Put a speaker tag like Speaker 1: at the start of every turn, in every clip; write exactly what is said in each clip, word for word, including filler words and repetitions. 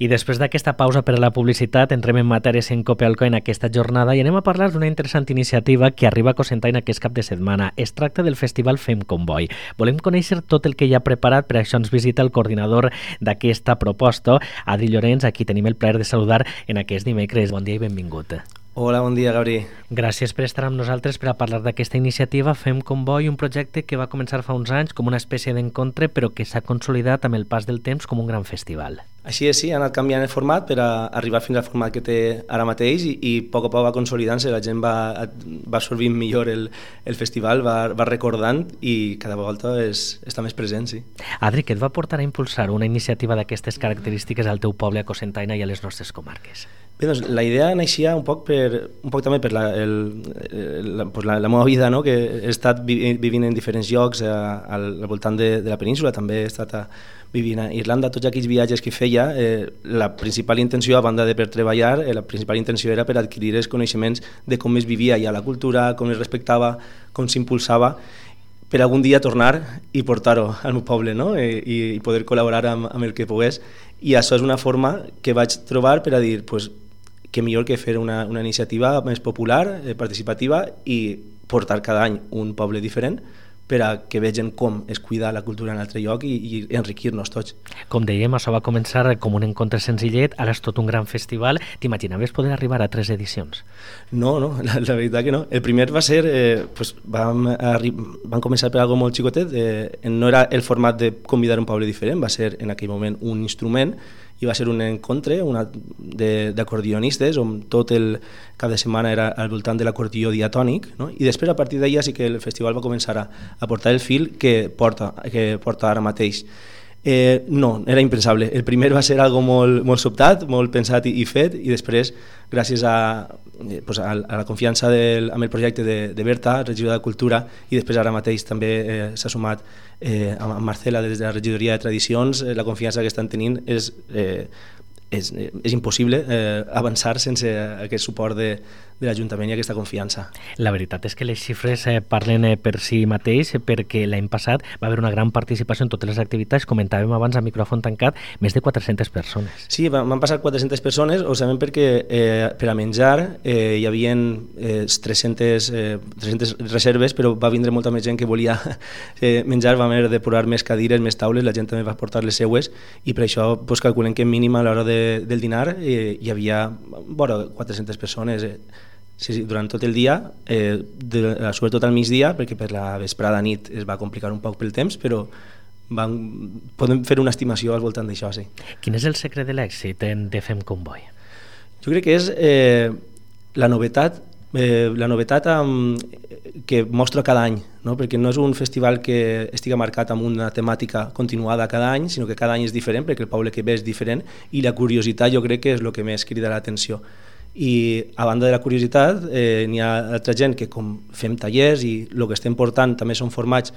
Speaker 1: I després d'aquesta pausa per a la publicitat, entrem en matèria en Copelco en aquesta jornada i anem a parlar d'una interessant iniciativa que arriba a Cocentaina aquest cap de setmana. Es tracta del festival Fem Comboi. Volem conèixer tot el que hi ha preparat, per això ens visita el coordinador d'aquesta proposta, Adri Llorenç, a qui tenim el plaer de saludar en aquest dimecres. Bon dia i benvingut.
Speaker 2: Hola, bon dia, Gabri.
Speaker 1: Gràcies per estar amb nosaltres per a parlar d'aquesta iniciativa Fem Comboi, un projecte que va començar fa uns anys com una espècie d'encontre, però que s'ha consolidat amb el pas del temps com un gran festival.
Speaker 2: Així és, sí, ha anat canviant el format per a arribar fins al format que té ara mateix i, i a poc a poc va consolidant-se, la gent va, va absorbint millor el, el festival, va, va recordant i cada volta és, està més present, sí.
Speaker 1: Adri, què et va portar a impulsar una iniciativa d'aquestes característiques al teu poble, a Cocentaina i a les nostres comarques?
Speaker 2: Bé, doncs, la idea naixia un poc, per, un poc també per la, el, la, pues la, la meva vida, no? Que he estat vivint en diferents llocs a, al, al voltant de, de la península, també he estat a, vivint a Irlanda. Tots aquells viatges que feia, eh, la principal intenció, a banda de per treballar, eh, la principal intenció era per adquirir els coneixements de com es vivia ja la cultura, com es respectava, com s'impulsava, per algun dia tornar i portar-ho al meu poble, no? I, i poder col·laborar amb, amb el que pogués. I això és una forma que vaig trobar per a dir, pues, que millor que fer una, una iniciativa més popular, eh, participativa, i portar cada any un poble diferent per a que vegin com es cuida la cultura en altre lloc i, i enriquir-nos tots.
Speaker 1: Com dèiem, això va començar com un encontre senzillet, ara és tot un gran festival. T'imaginaves poder arribar a tres edicions?
Speaker 2: No, no, la, la veritat que no. El primer va ser, eh, pues, vam, vam començar per algo molt xicotet, eh, no era el format de convidar un poble diferent, va ser en aquell moment un instrument i va ser un encontre d'acordionistes on tot el cap de setmana era al voltant de l'acordió diatònic, no? I després a partir d'allà sí que el festival va començar a, a portar el fil que porta, que porta ara mateix. Eh, no, era impensable. El primer va ser algo molt, molt sobtat, molt pensat i, i fet, i després, gràcies a, eh, pues a, a la confiança del, amb el projecte de, de Berta, regidora de Cultura, i després ara mateix també eh, s'ha sumat eh, amb Marcela des de la regidoria de Tradicions, eh, la confiança que estan tenint és... Eh, És, és impossible eh, avançar sense aquest suport de, de l'Ajuntament i aquesta confiança.
Speaker 1: La veritat és que les xifres eh, parlen eh, per si mateix, perquè l'any passat va haver una gran participació en totes les activitats, comentàvem abans a micròfon tancat, més de quatre-centes persones.
Speaker 2: Sí, van passar quatre-centes persones, ho sabem perquè eh, per a menjar eh, hi havia eh, tres-centes, eh, tres-centes reserves, però va vindre molta més gent que volia eh, menjar, vam haver de posar més cadires, més taules, la gent també va portar les seues i per això pues, calculem que mínim a l'hora de del dinar eh, hi havia vora quatre-centes persones eh, sí, sí, durant tot el dia, eh, de, sobretot al migdia, perquè per la vesprada nit es va complicar un poc pel temps, però van, podem fer una estimació al voltant d'això, sí.
Speaker 1: Quin és el secret de l'èxit de Fem Comboi?
Speaker 2: Jo crec que és eh, la novetat Eh, la novetat um, que mostra cada any, no? Perquè no és un festival que estigui marcat amb una temàtica continuada cada any, sinó que cada any és diferent, perquè el poble que ve és diferent, i la curiositat jo crec que és el que més crida l'atenció. I a banda de la curiositat, eh, n'hi ha altra gent que com fem tallers i el que estem portant també són formats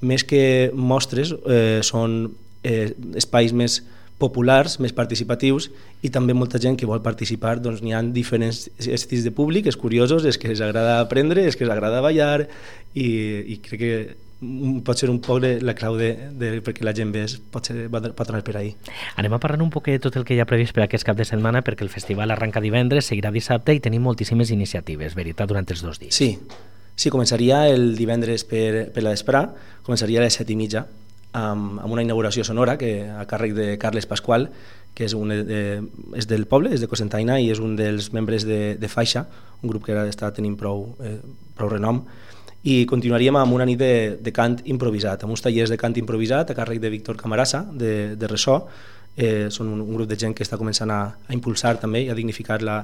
Speaker 2: més que mostres, eh, són eh, espais més populars, més participatius, i també molta gent que vol participar, doncs n'hi ha diferents estils de públic, és curiosos, és que els agrada aprendre, és que els agrada ballar, i, i crec que pot ser un poc la clau de, de, perquè la gent ve, pot, ser, pot anar per ahí.
Speaker 1: Anem a parlar un poc de tot el que hi ha previst per aquest cap de setmana, perquè el festival arranca divendres, seguirà dissabte i tenim moltíssimes iniciatives, veritat, durant els dos dies.
Speaker 2: Sí, sí, començaria el divendres per, per la vesprà, començaria a les set i mitja, amb, amb una inauguració sonora que a càrrec de Carles Pasqual, que és, un, eh, és del poble, és de Cocentaina i és un dels membres de, de Faixa, un grup que ara està tenint prou, eh, prou renom, i continuaríem amb una nit de, de cant improvisat, amb uns tallers de cant improvisat a càrrec de Víctor Camarasa, de, de Ressò. Eh, són un, un grup de gent que està començant a, a impulsar també i a dignificar la,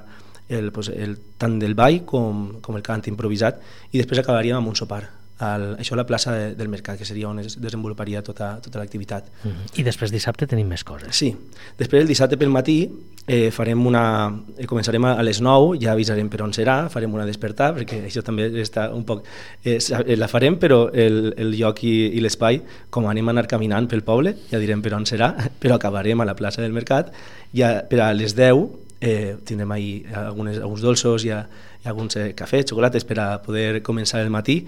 Speaker 2: el, pues, el, tant del ball com, com el cant improvisat, i després acabaríem amb un sopar. Al, això a la plaça de, del Mercat, que seria on es desenvoluparia tota, tota l'activitat.
Speaker 1: Mm-hmm. I després dissabte tenim més coses.
Speaker 2: Sí, després el dissabte pel matí eh, farem una, eh, començarem a les nou, ja avisarem per on serà, farem una despertar, perquè això també està un poc, eh, la farem, però el, el lloc i, i l'espai, com anem a anar caminant pel poble, ja direm per on serà, però acabarem a la plaça del Mercat, ja per a les deu eh, tindrem ahí algunes, alguns dolços i, a, i alguns eh, cafès, xocolates per a poder començar el matí,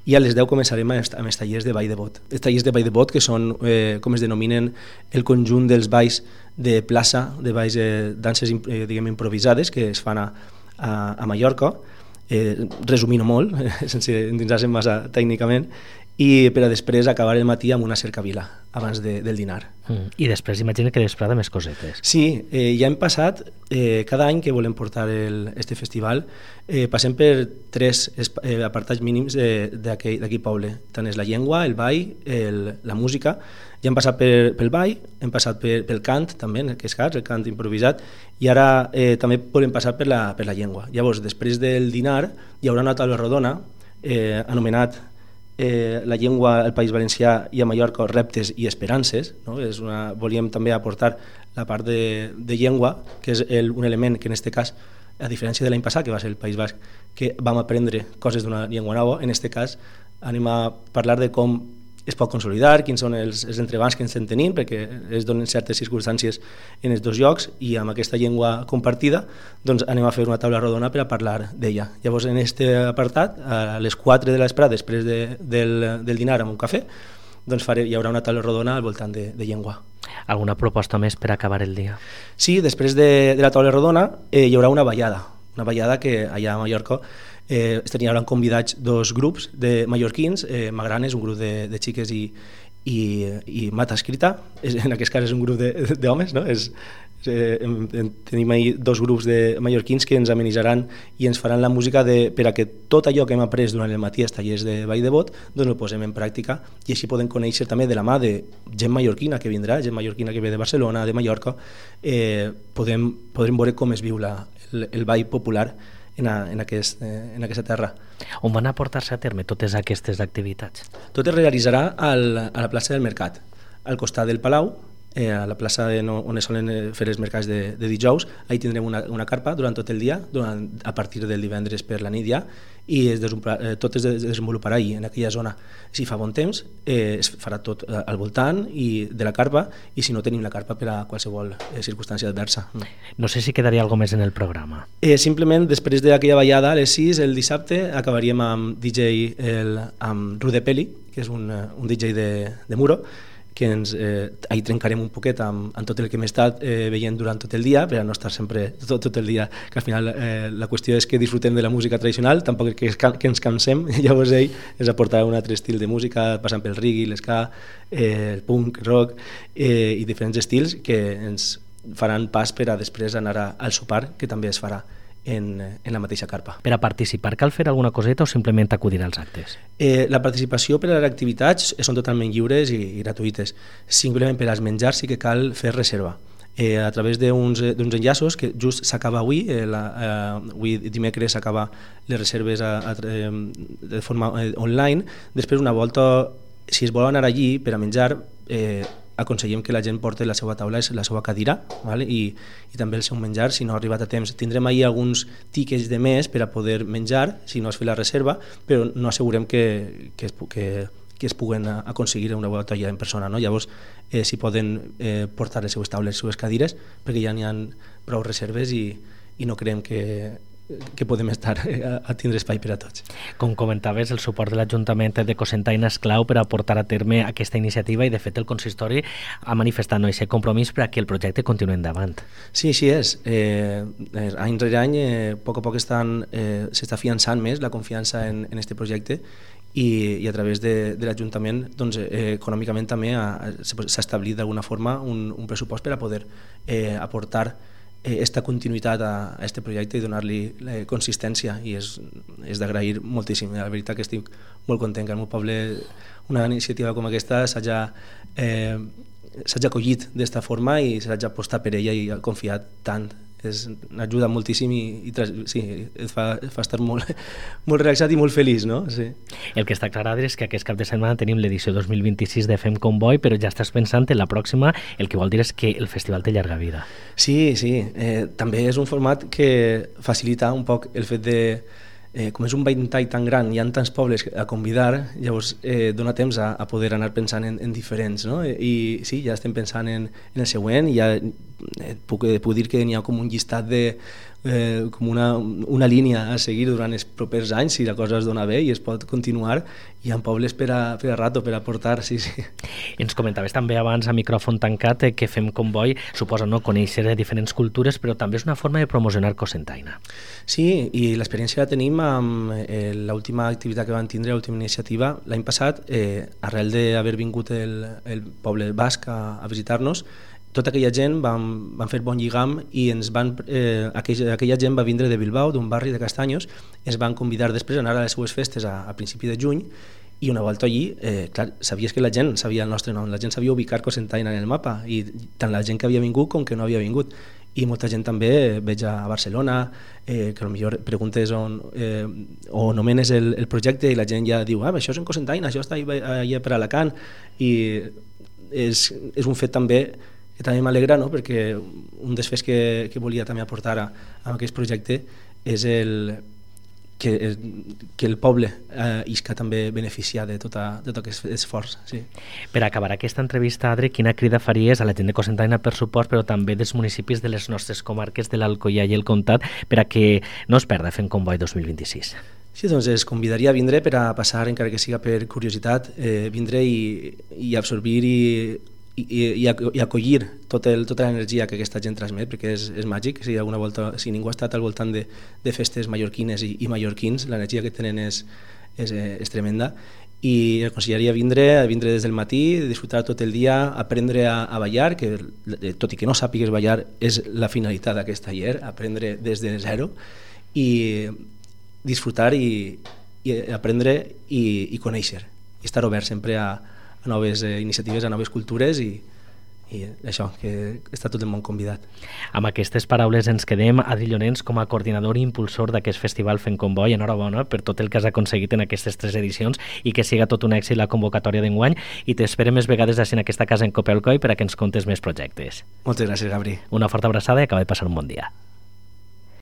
Speaker 2: i a les deu començarem amb els tallers de ball de bot. Els tallers de ball de bot, que són, eh, com es denominen, el conjunt dels balls de plaça, de balls, eh, danses eh, diguem, improvisades que es fan a, a, a Mallorca, eh, resumint molt, sense endinsar-se massa tècnicament, i per a després acabar el matí amb una cercavila abans de, del dinar.
Speaker 1: Mm. I després imagina que després de més cosetes.
Speaker 2: Sí, eh, ja hem passat, eh, cada any que volem portar el, este festival, eh, passem per tres eh, apartats mínims d'aquí poble. Tant és la llengua, el ball, el, la música. Ja hem passat per, pel ball, hem passat per, pel cant també, que és cas, el cant improvisat, i ara eh, també volem passar per la, per la llengua. Llavors, després del dinar, hi haurà una taula rodona eh, anomenat Eh, la llengua al País Valencià i a Mallorca, reptes i esperances, no? És una, volíem també aportar la part de, de llengua, que és el, un element que en aquest cas, a diferència de l'any passat, que va ser el País Basc, que vam aprendre coses d'una llengua nova, en aquest cas anem a parlar de com es pot consolidar, quins són els, els entrebancs que ens estem tenint, perquè es donen certes circumstàncies en els dos llocs, i amb aquesta llengua compartida doncs anem a fer una taula rodona per a parlar d'ella. Llavors, en aquest apartat, a les quatre de l'esprada, després de, del, del dinar amb un cafè, doncs faré, hi haurà una taula rodona al voltant de, de llengua.
Speaker 1: Alguna proposta més per acabar el dia?
Speaker 2: Sí, després de, de la taula rodona eh, hi haurà una ballada, una ballada que allà a Mallorca Eh, hi hauran convidats dos grups de mallorquins, eh, Magranes, un grup de, de xiques i, i, i Mata Escrita, és, en aquest cas és un grup d'homes, no? És, eh, tenim ahí dos grups de mallorquins que ens amenitzaran i ens faran la música de, per a que tot allò que hem après durant el matí als tallers de ball de bot doncs ho posem en pràctica, i així podem conèixer també de la mà de gent mallorquina que vindrà, gent mallorquina que ve de Barcelona, de Mallorca, eh, podem, podrem veure com es viu la, el, el ball popular En, a, en, aquest, en aquesta terra.
Speaker 1: On van a portar-se a terme totes aquestes activitats?
Speaker 2: Tot es realitzarà al, a la plaça del Mercat, al costat del Palau, eh, a la plaça de, no, on es solen fer els mercats de, de dijous. Ahí tindrem una, una carpa durant tot el dia, durant, a partir del divendres per la nit ja, i es eh, tot es desenvoluparà ahí, en aquella zona. Si fa bon temps, eh, es farà tot al voltant i de la carpa, i si no tenim la carpa per a qualsevol eh, circumstància adversa.
Speaker 1: No sé si quedaria alguna més en el programa.
Speaker 2: Eh, simplement, després d'aquella ballada, a les sis, el dissabte, acabaríem amb D J el, amb Rude Peli, que és un, un D J de, de Muro, que ens, eh, ahí trencarem un poquet amb, amb tot el que hem estat eh, veient durant tot el dia, per a no estar sempre tot, tot el dia, que al final eh, la qüestió és que disfrutem de la música tradicional, tampoc que, es, que ens cansem. Llavors ell ens aportarà un altre estil de música, passant pel reggae, l'esca, eh, el punk, rock eh, i diferents estils que ens faran pas per a després anar a, al sopar, que també es farà en, en la mateixa carpa.
Speaker 1: Per a participar cal fer alguna coseta o simplement acudir als actes?
Speaker 2: Eh, la participació per a les activitats són totalment lliures i, i gratuïtes. Simplement per als menjars sí que cal fer reserva. Eh, a través d'uns enllaços que just s'acaba avui, eh, la, eh, avui dimecres s'acaba les reserves a, a, de forma eh, online. Després, una volta, si es vol anar allí per a menjar, eh, aconsellem que la gent porti la seva taula, la seva cadira, vale? I, i també el seu menjar, si no ha arribat a temps. Tindrem ahir alguns tiquets de més per a poder menjar, si no has fet la reserva, però no assegurem que, que, es, que, que es puguen aconseguir una volta ja en persona. No? Llavors, eh, si poden eh, portar les seues taules, les seues cadires, perquè ja n'hi ha prou reserves i, i no creiem que que podem estar a, a tindre espai per a tots.
Speaker 1: Com comentaves, el suport de l'Ajuntament de Cocentaina és clau per a portar a terme aquesta iniciativa, i de fet el consistori ha manifestat no, aquest compromís per a que el projecte continuï endavant.
Speaker 2: Sí, així és. Eh, any rere any, eh, a poc a poc estan, eh, s'està fiançant més la confiança en, en este projecte, i, i a través de, de l'Ajuntament doncs, eh, econòmicament també ha, s'ha establit d'alguna forma un, un pressupost per a poder eh, aportar aquesta continuïtat a aquest projecte i donar-li consistència, i és, és d'agrair moltíssim. La veritat que estic molt content que al meu poble una iniciativa com aquesta s'hagi eh, acollit d'esta forma i s'hagi apostat per ella i confiat tant. És, ajuda moltíssim i, i sí, et fa, et fa estar molt, molt relaxat i molt feliç, no? Sí.
Speaker 1: El que està clar és que aquest cap de setmana tenim l'edició dos mil vint-i-sis de Fem Convoi, però ja estàs pensant en la pròxima, el que vol dir és que el festival té llarga vida.
Speaker 2: Sí, sí. Eh, també és un format que facilita un poc el fet de Eh, com és un ventall tan gran, hi ha tants pobles a convidar, llavors eh, dona temps a, a poder anar pensant en, en diferents, no? I sí, ja estem pensant en, en el següent, ja et puc, et puc dir que n'hi ha com un llistat de eh, com una, una línia a seguir durant els propers anys si la cosa es dona bé i es pot continuar. Hi ha pobles per a, per a rato, per a portar, sí, sí.
Speaker 1: Ens comentaves també abans a micròfon tancat que Fem Comboi suposa no conèixer diferents cultures, però també és una forma de promocionar Cocentaina.
Speaker 2: Sí, i l'experiència la tenim amb eh, l'última activitat que van tindre, l'última iniciativa. L'any passat, eh, arrel d'haver vingut el, el poble basc a, a visitar-nos, tota aquella gent van, van fer bon lligam i ens van, eh, aquella, aquella gent va vindre de Bilbao, d'un barri de Castanyos, ens van convidar després a anar a les seues festes a, a principi de juny i una volta allí, eh, clar, sabies que la gent sabia el nostre nom, la gent sabia ubicar Cocentaina en el mapa i tant la gent que havia vingut com que no havia vingut. I molta gent també eh, veig a Barcelona, eh, que potser preguntes on, eh, o nomenes el, el projecte i la gent ja diu, ah, això és en Cocentaina, això està allà per Alacant, i és, és un fet també que també m'alegra, no? Perquè un dels fets que, que volia també aportar a, a aquest projecte és el, que, que el poble eh, isca també beneficiar de, tota, de tot aquest esforç. Sí.
Speaker 1: Per acabar aquesta entrevista, Adri, quina crida faries a la gent de Cocentaina per suport, però també dels municipis de les nostres comarques de l'Alcoià i el Comtat per a que no es perda Fem Comboi dos mil vint-i-sis?
Speaker 2: Sí, doncs es convidaria a vindre per a passar, encara que siga per curiositat, eh, vindre i, i absorbir i I, i, i acollir tot el, tota l'energia que aquesta gent transmet, perquè és, és màgic. Si, alguna volta, si ningú ha estat al voltant de, de festes mallorquines i, i mallorquins, l'energia que tenen és, és, és tremenda, i el aconsellaria vindre, vindre des del matí, disfrutar tot el dia, aprendre a, a ballar, que tot i que no sàpigues ballar és la finalitat d'aquest taller, aprendre des de zero i disfrutar i, i aprendre i, i conèixer, i estar obert sempre a a noves eh, iniciatives, a noves cultures i, i això, que està tot el món convidat.
Speaker 1: Amb aquestes paraules ens quedem. Adri Llorens, com a coordinador i impulsor d'aquest festival Fem Comboi, enhorabona per tot el que has aconseguit en aquestes tres edicions i que siga tot un èxit la convocatòria d'enguany, i t'esperem més vegades així en aquesta casa en Copealcoy per a que ens contes més projectes.
Speaker 2: Moltes gràcies, Gabri.
Speaker 1: Una forta abraçada i acaba de passar un bon dia.